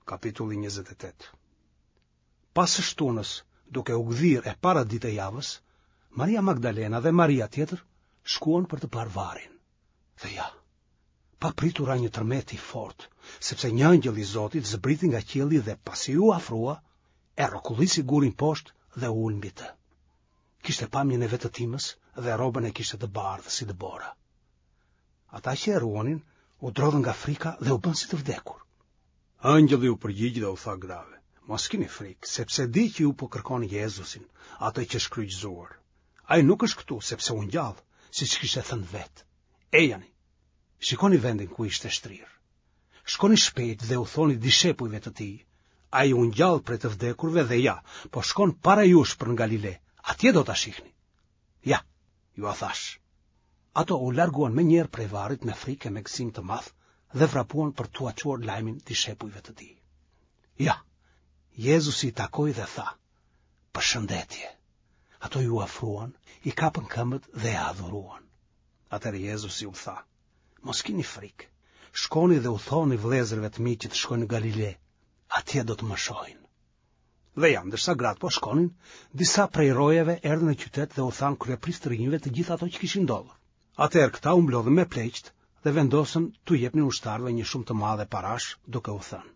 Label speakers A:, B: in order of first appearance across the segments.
A: Kapitulli 28. Pas së shtunës, duke u gdhirë e para ditë e javës, Maria Magdalena dhe Maria tjetër shkuan për të parë varrin. Dhe ja, papritur ra një tërmet i fortë, sepse një engjëll i Zotit zbriti nga qielli dhe pasi iu afrua, e rrokullisi gurin poshtë dhe u ul mbi të. Kishte pamjen e vetëtimës dhe rrobën e kishte të bardhë si dëbora. Ata që e ruanin u drodhën nga frika dhe u bënë si të vdekur. Engjëlli u përgjigj dhe u tha grave, mos kini frikë, sepse di që ju po kërkoni Jezusin, atë që është kryqëzuar. Ai nuk është këtu, sepse u ngjall, siç kishte thënë vetë. Ejani, shikoni vendin ku ishte shtrirë. Shkoni shpejt dhe u thoni dishepujve të tij, ai u ngjall prej të vdekurve dhe ja, po shkon para jush për në Galile, atje do ta shihni. Ja, jua thashë. Ato u larguan menjëherë prej varrit me frikë e me gëzim të madh dhe vrapuan për t'ua çuar lajmin dishepujve të tij. Ja, Jezusi i takoi dhe tha, përshëndetje. Ato iu afruan, i kapën këmbët dhe e adhuruan. Atëherë Jezusi u tha, mos kini frikë, shkoni dhe u thoni vëllezërve të mi që të shkojnë në Galile, atje do të më shohin. Dhe ja, ndërsa gratë po shkonin, disa prej rojeve erdhën në qytet dhe u thanë kryepriftërinjve të gjitha ato që kishin ndodhur. Atëherë këta u mblodhën me pleqtë dhe vendosën t'u jepnin ushtarëve një shumë të madhe parash, duke u thënë: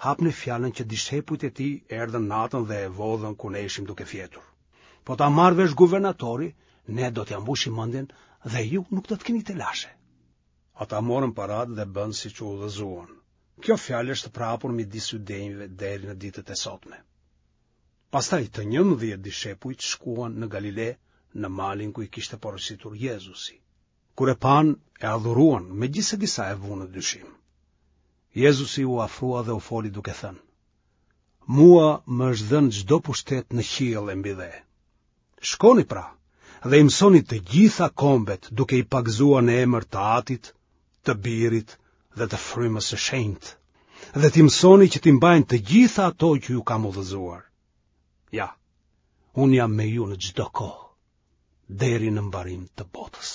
A: Hapni fjalën që dishepujt e tij erdhën natën dhe e vodhën kur ne ishim duke fjetur. Po ta marrë vesh guvernatori, ne do t'ia mbushim mendjen dhe ju nuk do të keni telashe. Ata morën paratë dhe bënë siç u udhëzuan. Kjo fjalë është përhapur midis judenjve deri në ditët e sotme. Pastaj të 11 dishepujt shkuan në Galile, në malin ku i kishte porositur Jezusi. Kur e panë, e adhuruan, megjithëse disa e vunë në dyshim. Jezusi iu afrua dhe u foli duke thënë: Mua më është dhënë çdo pushtet në qiell e mbi dhe. Shkoni pra dhe i mësoni të gjitha kombet duke i pagëzuar në emër të Atit, të Birit dhe të Frymës së Shenjtë, dhe t'i mësoni që t'i mbajnë të gjitha ato që ju kam udhëzuar. Ja, unë jam me ju në çdo kohë, deri në mbarim të botës.